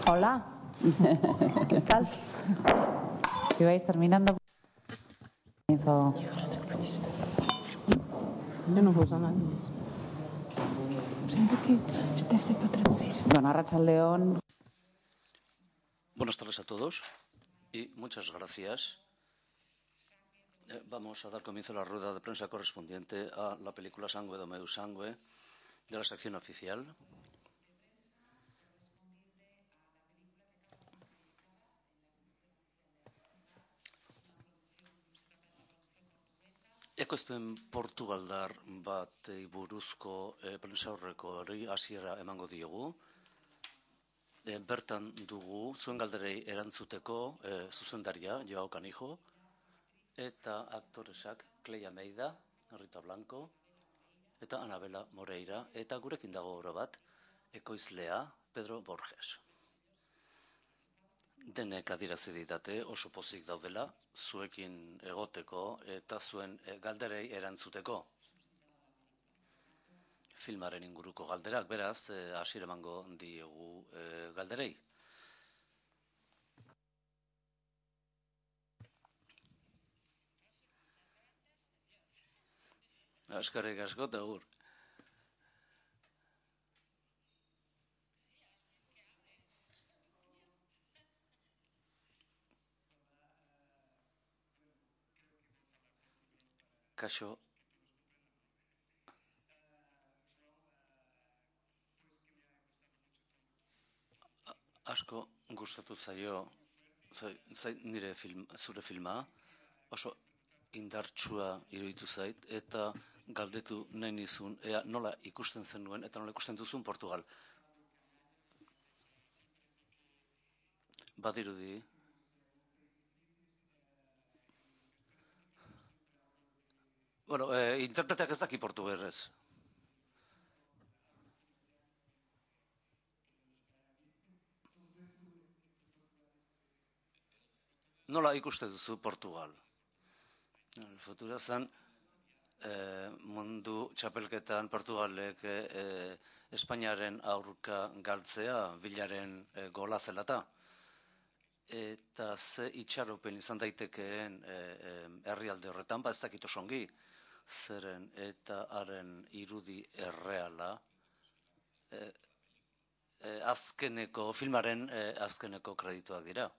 Hola, ¿qué tal? Si vais terminando, comienzo. Yo no puedo nada. ¿Sabe qué? Usted se puede traducir. Don Arratsaldeon. Buenas tardes a todos y muchas gracias. Vamos a dar comienzo a la rueda de prensa correspondiente a la película Sangue do meu sangue de la sección oficial. Ekoizpen portugaldar batei buruzko prentsaurrekoari hasiera emango diogu. Bertan dugu zuen galderei erantzuteko zuzendaria Joao Canijo eta aktoresak Cleia Meida, Rita Blanco eta Anabela Moreira eta gurekin dago oro bat ekoizlea Pedro Borges. Denek adierazi ditate oso pozik daudela zuekin egoteko eta zuen galderei erantzuteko. Filmaren inguruko galderak, beraz, hasiera emango diegu galderei. Eskerrik asko eta agur. Kaixo. Asko gustatu zaio nire zure filma, oso indartsua iruditu zait eta galdetu nahi nizun ea nola ikusten zenuen eta nola ikusten duzun Portugal. Badirudi interpreteak ez daki portugerrez. Nola ikuste duzu Portugal? Futura zen mundu txapelketan Portugalek Espainiaren aurka galtzea bilaren gola zelata. Eta ze itxaropen izan daitekeen herrialde horretan, ez dakit oso ongi, zeren eta haren irudi erreala filmaren azkeneko kredituak dira.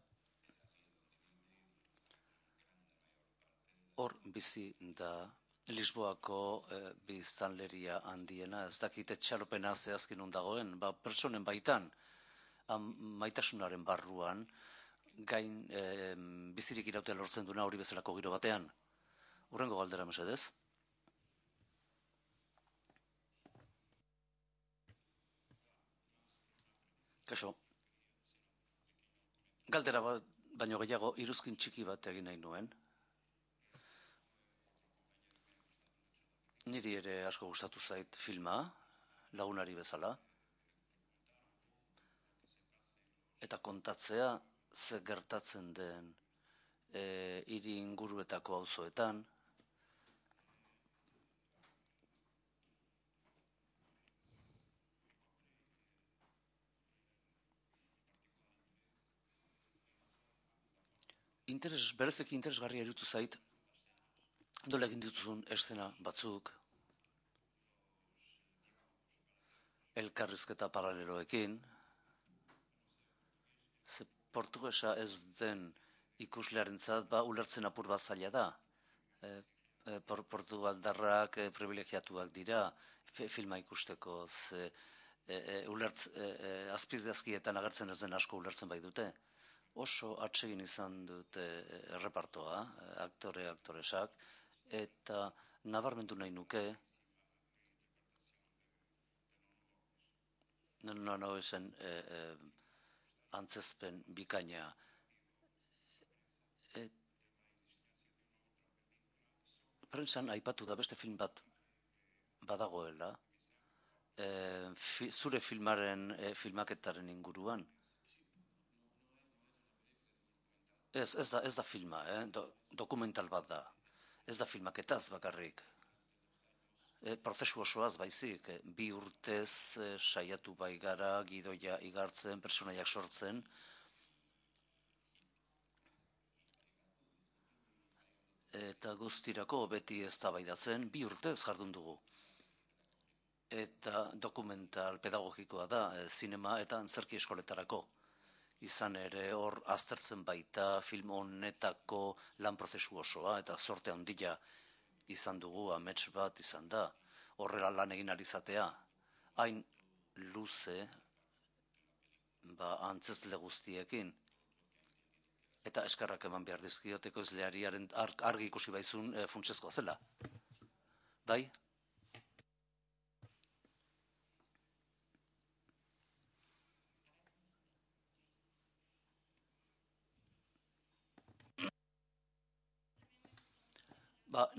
Hor bizi da Lisboako biztanleria handiena, ez dakit etxaropena zehazki non dagoen, pertsonen baitan, maitasunaren barruan, gain bizirik irautea lortzen duena hori bezalako giro batean. Hurrengo galdera mesedez. Kaixo. Galdera bat baino gehiago iruzkin txiki bat egin nahi nuen. Niri ere asko gustatu zait filma, lagunari bezala. Eta kontatzea ze gertatzen den hiri inguruetako auzoetan. Berezeki interesgarria iruditu zait, nola egin dituzun eszena batzuk, elkarrizketa paraleloekin, ze portugesa ez den ikuslearentzat ulertzen apur bat zaila da. Portugaldarrak privilegiatuak dira filma ikusteko, azpidazkietan agertzen ez den asko ulertzen bai dute. Oso atsegin izan dute errepartoa, aktoresak, eta nabarmendu nahi nuke, no esen antzezpen bikaina. Prentsan aipatu da beste film bat badagoela, zure filmaren filmaketaren inguruan. Ez da filma, dokumental bat da. Ez da filmaketaz bakarrik. prozesu osoaz baizik, 2 urtez saiatu bai gara gidoia igartzen, pertsonaiak sortzen, eta guztirako beti eztabaidatzen 2 urtez jardun dugu. Eta dokumental pedagogikoa da, zinema eta antzerki eskoletarako. Izan ere hor aztertzen baita film honetako lan prozesu osoa, eta sorte handia izan dugu, amets bat izan da. Horrela lan egin alizatea, hain luze, antzezle guztiekin. Eta eskerrak eman behar dizkiot ekoizleariaren argi ikusi baizun funtsezkoa zela. Bai?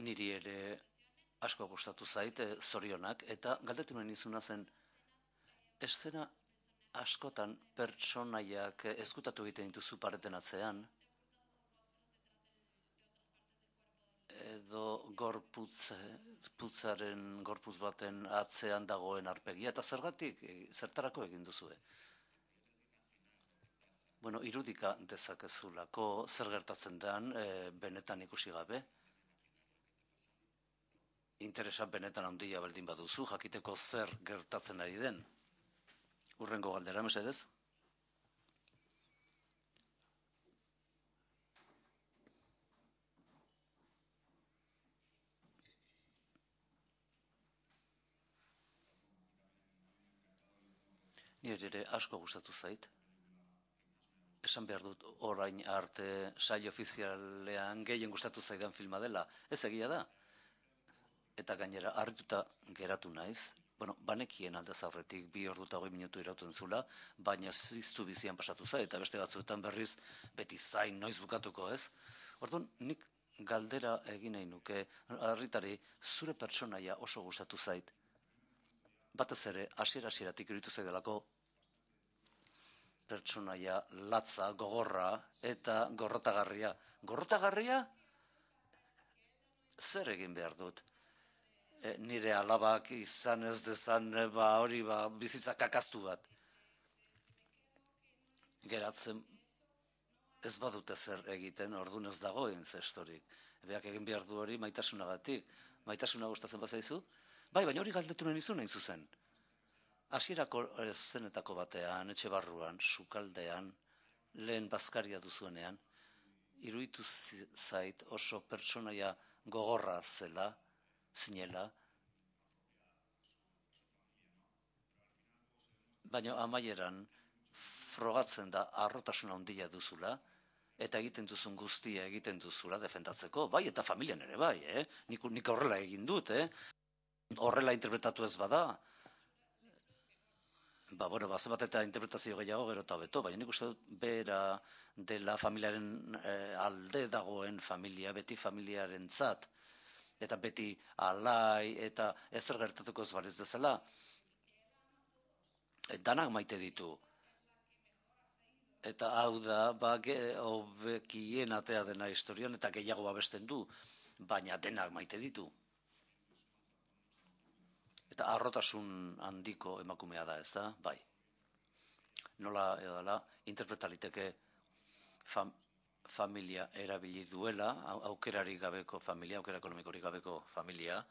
Niri ere asko gustatu zait, zorionak, eta galdetu nahi nizuna zen, eszena askotan pertsonaiak ezkutatu egiten dituzu pareten atzean, edo gorputz baten atzean dagoen arpegia, eta zertarako egin duzue? Bueno, irudika dezakezulako zer gertatzen den benetan ikusi gabe. Interesa benetan handia baldin baduzu, jakiteko zer gertatzen ari den. Hurrengo galdera, mesedez? Nire ere asko gustatu zait. Esan behar dut orain arte saio ofizialean gehien gustatu zaidan filma dela. Ez egia da. Eta gainera, harrituta geratu naiz. Bueno, banekien aldez aurretik 2 ordu eta 20 minutu irauten zula, baina ziztu bizian pasatu zait, eta beste batzuetan berriz beti zain noiz bukatuko, ez? Orduan, nik galdera egin nahi nuke, harritari, zure pertsonaia oso gustatu zait. Batez ere, hasieratik iruditu zaidalako pertsonaia latza, gogorra eta gorrotagarria. Gorrotagarria? Zer egin behar dut? Nire alabak izan ez dezan hori bizitza kakaztu bat. Geratzen ez badute zer egiten, orduan ez dagoen zestorik. Beak egin behar du hori maitasunagatik. Maitasuna gustatzen bazaizu? Bai, baina hori galdetu nahi nizun hain zuzen. Hasierako zenetako batean, etxe barruan, sukaldean, lehen bazkaria duzuenean, iruditu zait oso pertsonaia gogorra zela, zinela, baina amaieran frogatzen da harrotasuna handia duzula, eta egiten duzun guztia egiten duzula defendatzeko, bai, eta familian ere bai, nik horrela egin dut, horrela interpretatu ez bada, zenbat eta interpretazio gehiago gero eta beto, baina nik uste dut bera dela familiaren alde dagoen familia, beti familiarentzat, eta beti alai, eta ezer gertatuko ez baliz bezala, danak maite ditu. Eta hau da, hobekien atea dena historian, eta gehiago babesten du, baina denak maite ditu. Eta harrotasun handiko emakumea da, ez da? Bai. Nola edala, interpretaliteke familia erabili duela, aukerari gabeko familia, aukera ekonomikorik gabeko familia,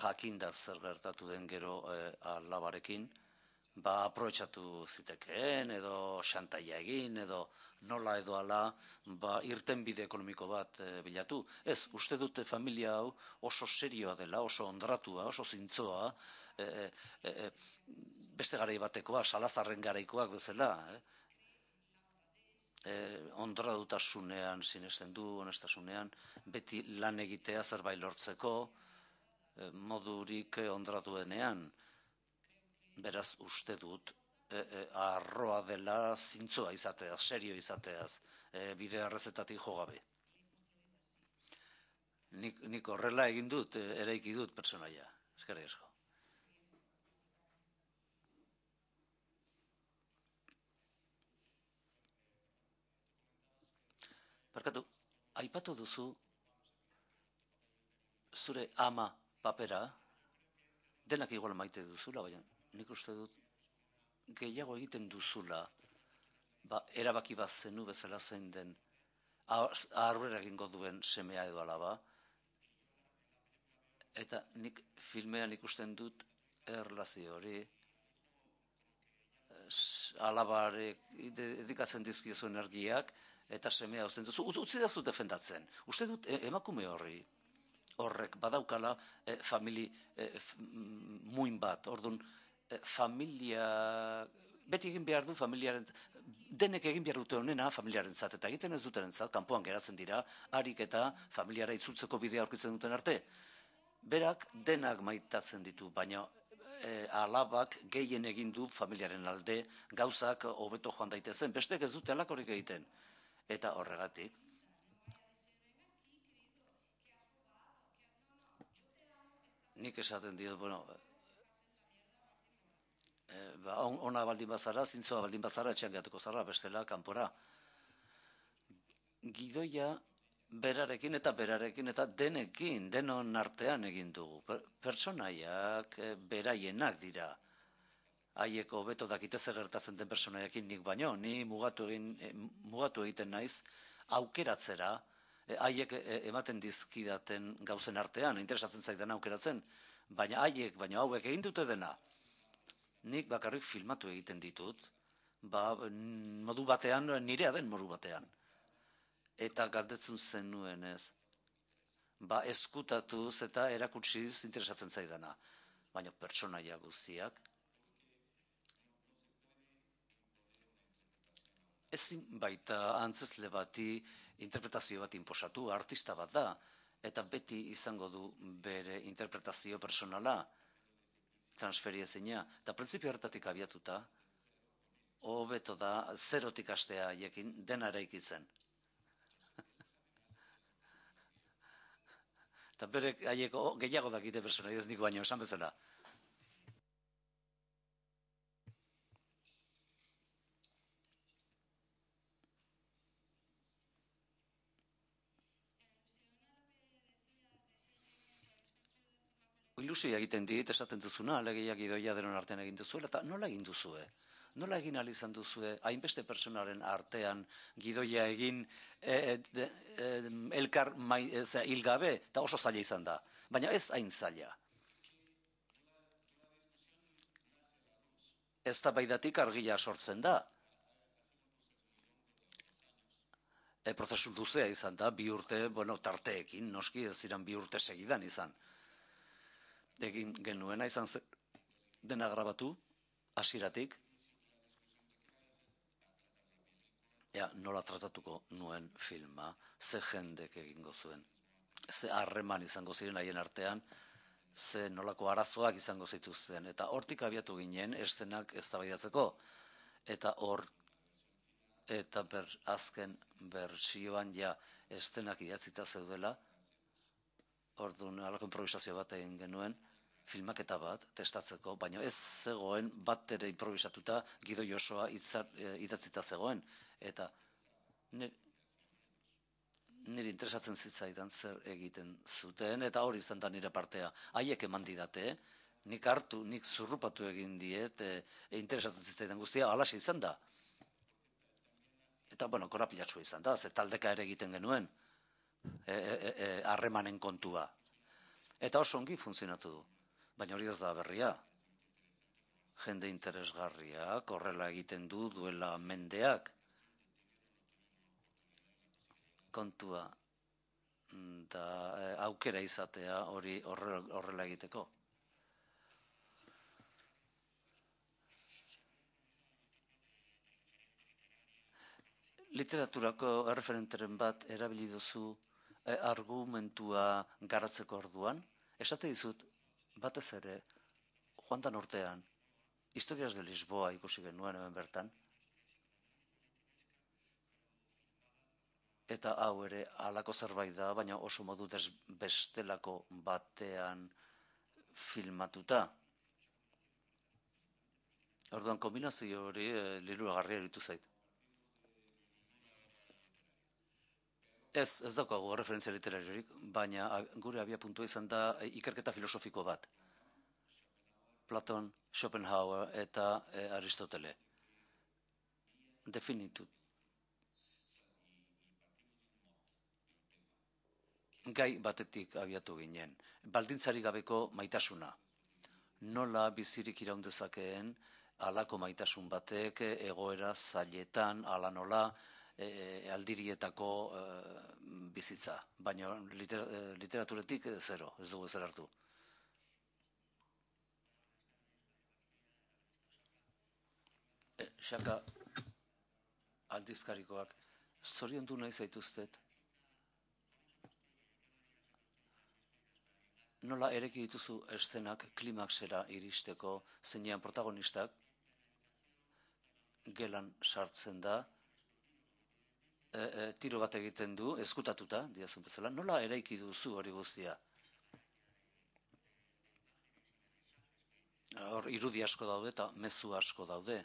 jakinda zer gertatu den gero alabarekin, aprobetxatu zitekeen, edo xantaia egin, edo nola edo ala, irtenbide ekonomiko bat bilatu. Ez, uste dute familia hau oso serioa dela, oso ondratua, oso zintzoa, beste garai batekoa, Salazarren garaikoak bezala, ondradutasunean sinesten du, honestasunean, beti lan egitea zerbait lortzeko, modurik ondratuenean. Beraz uste dut, arroa dela zintzoa izateaz, serio izateaz, bide arrezetatik jo gabe. Nik horrela egin dut, eraiki dut pertsonaia. Eskerrik asko. Barkatu, aipatu duzu zure ama papera, denak igual maite duzula, baina nik uste dut gehiago egiten duzula, erabaki bat zenu bezala zein den, aurrera egingo duen semea edo alaba, eta nik filmean ikusten dut erlazio hori, alabarek edikatzen dizkiozu energiak, eta semea uzten duzu, utzi da zu defendatzen. Uste dut emakume horrek badaukala famili muin bat, orduan familia, beti egin behar du familiaren, denek egin behar dute honena familiaren zat, eta egiten ez dutenen zat, kanpoan geratzen dira, harik eta familiara itzultzeko bidea aurkitzen duten arte. Berak denak maitatzen ditu, baina alabak gehien egin du familiaren alde, gauzak hobeto joan daitezen, bestek ez dute alakorik egiten. Eta horregatik, nik esaten diot, bueno, ona baldin bazara, zintzoa baldin bazara, etxean gehatuko zara, bestela, kanpora. Gidoia berarekin eta denekin, denon artean egin dugu. Pertsonaiak beraienak dira. Haiek hobeto dakite zer gertatzen den pertsonaiekin nik baino, ni mugatu egiten naiz aukeratzera, haiek ematen dizkidaten gauzen artean, interesatzen zaidan aukeratzen, baina hauek egin dute dena. Nik bakarrik filmatu egiten ditut, modu batean, nirea den modu batean. Eta galdetzen zenuen ez. Eskutatuz eta erakutsiz interesatzen zaidana. Baina pertsonaia guztiak, ezin baita antzezle bati interpretazio bat inposatu, artista bat da, eta beti izango du bere interpretazio personala, transferiezina, eta printzipio horretatik abiatuta, hobeto da zerotik hastea haiekin dena eraikitzen. Eta bere haieko gehiago dakite personaia ez nik baino esan bezala. Ilusioa egiten dit, esaten duzuna, alegia gidoia denon artean egin duzuela, eta nola egin duzue? Nola egin ahal izan duzue, hainbeste pertsonaren artean gidoia egin elkar hilgabe, eta oso zaila izan da. Baina ez hain zaila. Ez da baidatik argia sortzen da. Prozesu luzea izan da, 2 urte, tarteekin, noski ez ziren 2 urte segidan izan. Egin genuena izan dena grabatu, hasieratik. Nola tratatuko nuen filma, ze jendek egingo zuen, ze harreman izango ziren haien artean, ze nolako arazoak izango zituzten, eta hortik abiatu ginen estenak eztabaidatzeko, eta azken bertsioan estenak idatzita zeudela, orduan halako improvisazio bat egin genuen, filmaketa bat testatzeko, baina ez zegoen bat ere improvisatuta gidoi osoa idatzita zegoen, eta niri interesatzen zitzaidan zer egiten zuten, eta hori izan da nire partea. Haiek eman didate, nik zurrupatu egin diet, interesatzen zitzaidan guztia, halaxe izan da. Eta, korapilatsua izan da, ze taldeka ere egiten genuen, harremanen kontua. Eta oso ongi funtzionatu du. Baina hori ez da berria. Jende interesgarriak horrela egiten duela mendeak. Kontua da aukera izatea hori horrela egiteko. Literaturako erreferenteren bat erabili duzu argumentua garatzeko orduan. Esate dizut, batez ere, joan dan urtean, Historias de Lisboa ikusi genuen hemen bertan, eta hau ere halako zerbait da, baina oso modu bestelako batean filmatuta. Orduan, kombinazio hori liluragarria eritu zait. Ez daukagu referentzia literariorik, baina gure abia puntua izan da ikerketa filosofiko bat. Platon, Schopenhauer eta Aristotele. Definitu. Gai batetik abiatu ginen. Baldintzari gabeko maitasuna. Nola bizirik iraun dezakeen halako maitasun batek egoera zailetan, hala nola, aldirietako bizitza. Baina literaturetik zero, ez dugu ezer hartu. Xaka aldizkarikoak, zoriondu nahi zaituztet. Nola ereki dituzu eszenak klimaxera iristeko, zeinean protagonistak gelan sartzen da, tiro bat egiten du, eskutatuta, diazun bezala, nola eraiki duzu hori guztia? Hor, irudi asko daude eta mezu asko daude.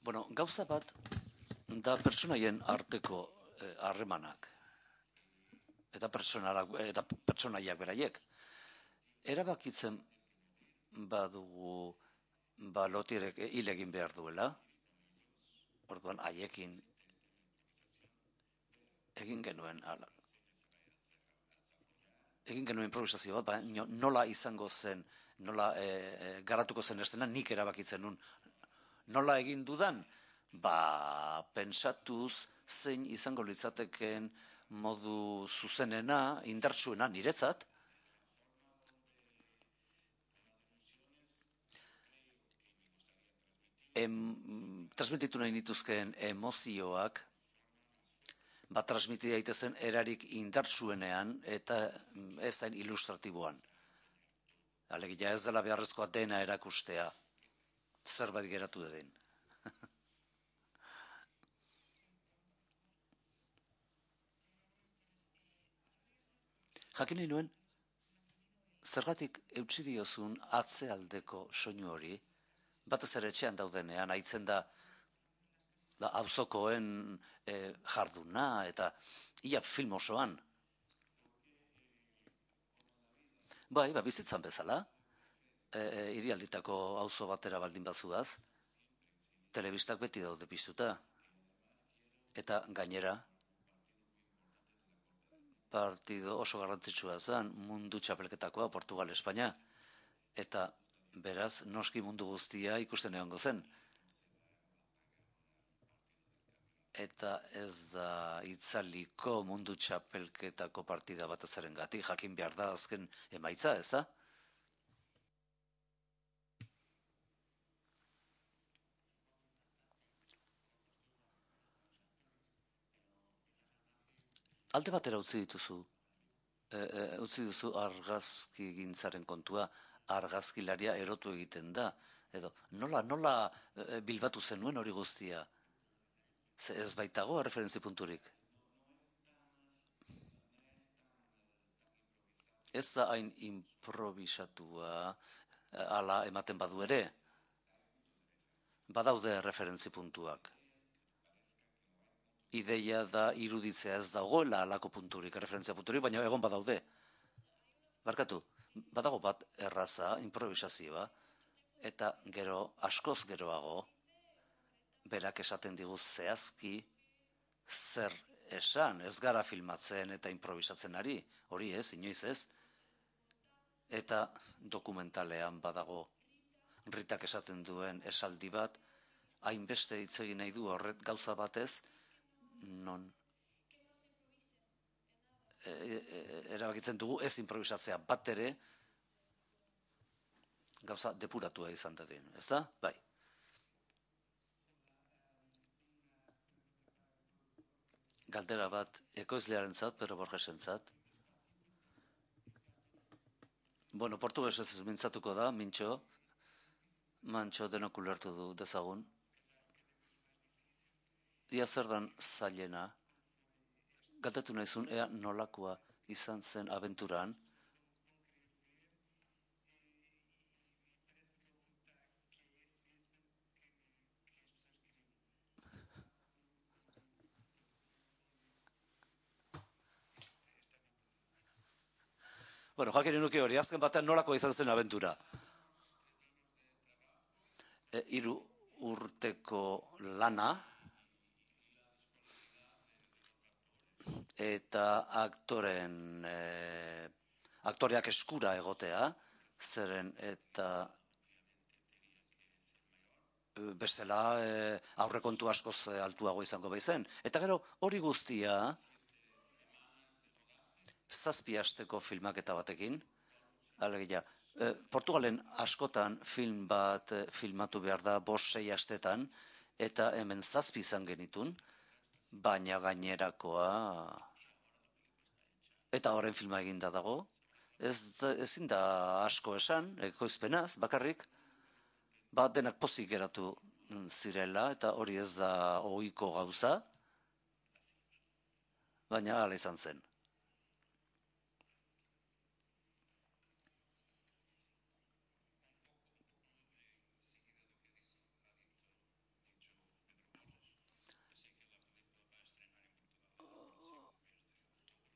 Bueno, gauza bat da pertsonaien arteko harremanak eta pertsonaiak beraiek. Erabakitzen badugu lotierek hil egin behar duela, orduan haiekin egin genuen improvisazio bat, baina nola izango zen, nola garatuko zen estena, nik erabakitzen nun. Nola egin dudan? Pentsatuz zein izango litzateken modu zuzenena, indartsuena niretzat. Transmititu nahi nituzkeen emozioak transmiti daitezen erarik indartsuenean eta ezain ilustratiboan. Alegia ez dela beharrezkoa dena erakustea, zerbait geratu den. Jakin nahi nuen, zergatik eutsi diozun atzealdeko soinu hori, batez ere etxean daudenean, haitzen da auzokoen jarduna eta ia film osoan. Bai, bizitzan bezala, hirialditako auzo batera baldin bazuaz, telebistak beti daude piztuta. Eta gainera, partido oso garrantzitsua zen, mundu txapelketakoa, Portugal-Espainia, eta beraz, noski mundu guztia ikusten egongo zen. Eta ez da itzaliko mundu txapelketako partida bat azarengatik, jakin behar da azken emaitza, ez da? Alde batera utzi duzu argazki gintzaren kontua, argazkilaria erotu egiten da, edo nola bilbatu zenuen hori guztia? Ez baitago referentzi punturik. Ez da hain improvisatua ala ematen badu ere, badaude referentzi puntuak. Ideia da iruditzea ez dagoela alako punturik, referentzia punturik, baina egon badaude. Barkatu, badago bat erraza, improvisazioa, eta gero, askoz geroago, berak esaten digu zehazki zer esan, ez gara filmatzen eta improvisatzen ari, hori ez, inoiz ez. Eta dokumentalean badago Ritak esaten duen esaldi bat, hainbeste hitz egin nahi du horret gauza batez, non erabakitzen dugu ez improvisatzea bat ere gauza depuratua izan dadin, ez da? Bai. Galdera bat ekoizlearentzat, Pedro Borgesentzat. Bueno, portugesez mintzatuko da, Mantxo denok ulertu du dezagun. Ia zer dan zailena, galdetu nahizun ea nolakoa izan zen abenturan. Bueno, jakin nuke hori, azken batean nolako izan zen abentura. 3 urteko lana, eta aktoreak eskura egotea, zeren eta bestela aurrekontu askoz altuago izango baizen. Eta gero hori guztia 7 asteko filmaketa batekin, alegia, Portugalen askotan film bat filmatu behar da 5-6 astetan, eta hemen 7 izan genitun, baina gainerakoa, eta horren filma eginda dago, ezin da asko esan, ekoizpenaz, bakarrik, denak pozik geratu zirela, eta hori ez da ohiko gauza, baina hala izan zen.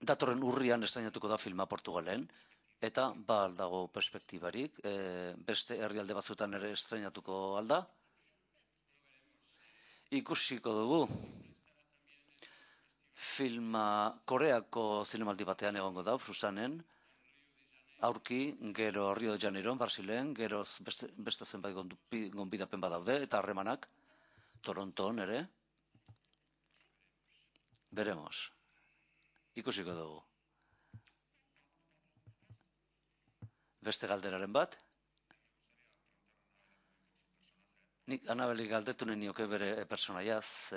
Datorren urrian estrainatuko da filma Portugalen, eta aldago perspektibarik, beste herrialde batzuetan ere estrainatuko alda. Ikusiko dugu. Filma Koreako zinemaldi batean egongo da, Busanen, aurki, gero Rio de Janeiro, Brasilen, gero beste zenbait gonbidapen badaude, eta harremanak, Toronton ere. Veremos. Ikusiko dugu. Beste galderaren bat. Nik Anabeli galdetu nioke bere personaiaz,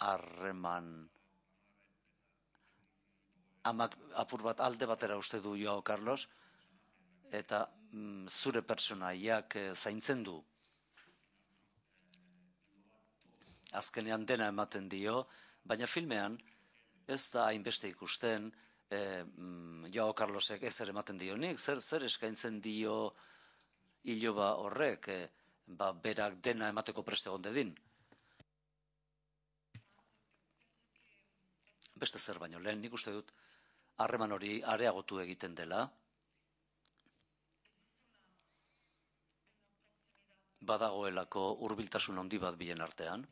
harreman amak apur bat alde batera uste du Joao Carlos, eta zure personaiak zaintzen du. Azkenean dena ematen dio, baina filmean ez da hainbeste ikusten Joao Carlosek ezer ematen dionik, zer eskaintzen dio iloba horrek, berak dena emateko preste egon dedin. Beste zer baino lehen, nik uste dut harreman hori areagotu egiten dela. Badagoelako hurbiltasun handi bat bien artean.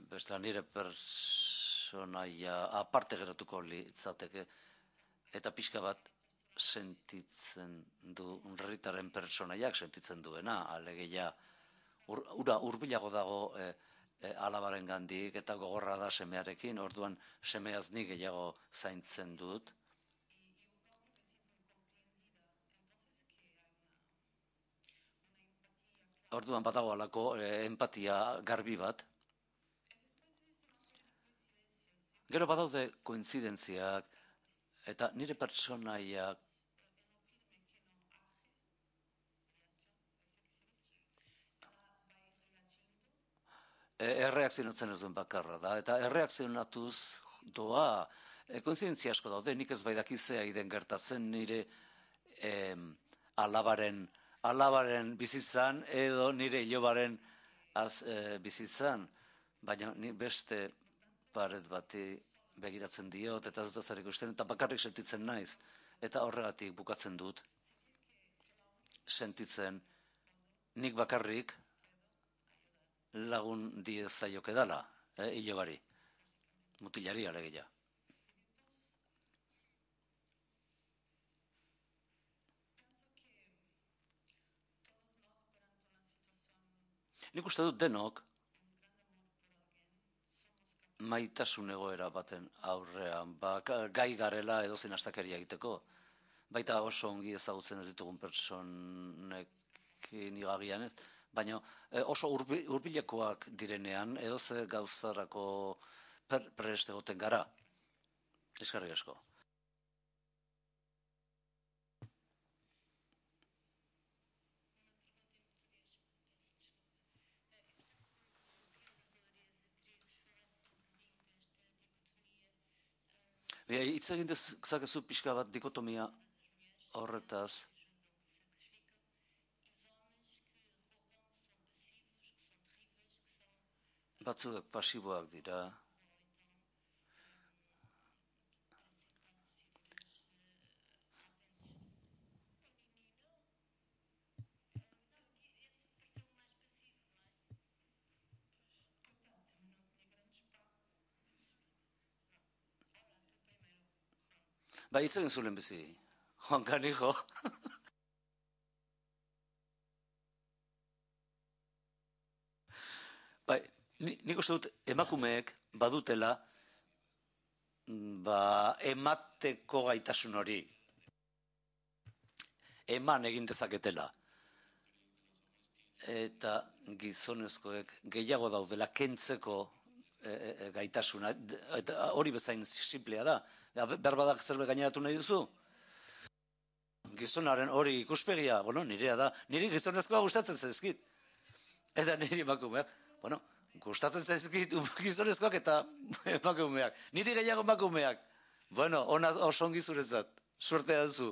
Beste nire personaia aparte geratuko litzateke, eta pixka bat sentitzen du Ritaren personaiak sentitzen duena, alegia ura hurbilago dago alabaren gandik, eta gogorra da semearekin, orduan semeaz nik gehiago zaintzen dut. Orduan badago alako empatia garbi bat. Gero badaude kointzidentziak, eta nire personaiak erreakzionatzen ez duen bakarra da, eta erreakzionatuz doa, koinzidentzia asko daude, nik ez baidaki zea iden gertatzen nire alabaren bizitzan, edo nire ilobaren bizitzan, baina ni beste paret bati begiratzen diot, eta ez dut zer ikusten, eta bakarrik sentitzen naiz, eta horregatik bukatzen dut, sentitzen nik bakarrik lagun diezaioke dala, ilobari, mutilari alegia. Nik uste dut denok maitasun egoera baten aurrean, gai garela edozein astakeria egiteko, baita oso ongi ezagutzen ez ditugun personekin igagian ez, baina oso hurbilekoak direnean edozer gauzarako prest egoten gara. Eskerrik asko. Hitz egin dezakezu pixka bat dikotomia horretaz. Batzuek pasiboak dira, Ba, hitz egin zuen bizi. Juan Canijo. Bai, nik uste dut emakumeek badutela emateko gaitasun hori. Eman egin dezaketela. Eta gizonezkoek gehiago daudela kentzeko gaitasuna. Eta hori bezain simplea da. Berbadak zerbait gaineratu nahi duzu? Gizonaren hori ikuspegia, bueno, nirea da. Niri gizonezkoa gustatzen zaizkit. Eta niri emakumeak, bueno, gustatzen zaizkit gizonezkoak eta emakumeak. Niri gehiago emakumeak. Bueno, oso ongi zuretzat. Suertea duzu.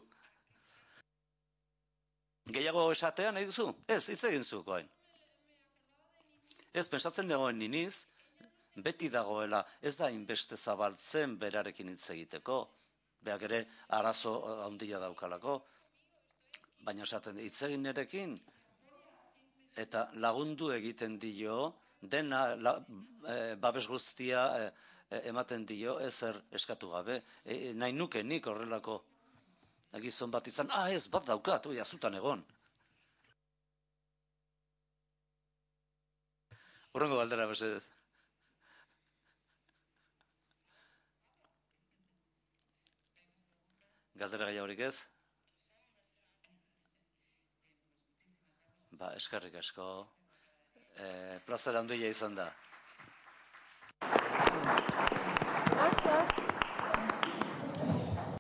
Gehiago esatea nahi duzu? Ez, hitz egin zu, goain. Ez, pensatzen dagoen niniz, beti dagoela, ez da inbeste zabaltzen berarekin hitz egiteko. Beak ere arazo handia daukalako. Baina esaten hitz egin nerekin, eta lagundu egiten dio, dena babes guztia ematen dio, ezer eskatu gabe. Nahi nuke nik horrelako gizon bat izan, ez, bat daukat, azutan egon. Horrengo galdera, mesedez. Galdera gehiagorik ez? Ba, eskerrik asko. Plazera handia izan da.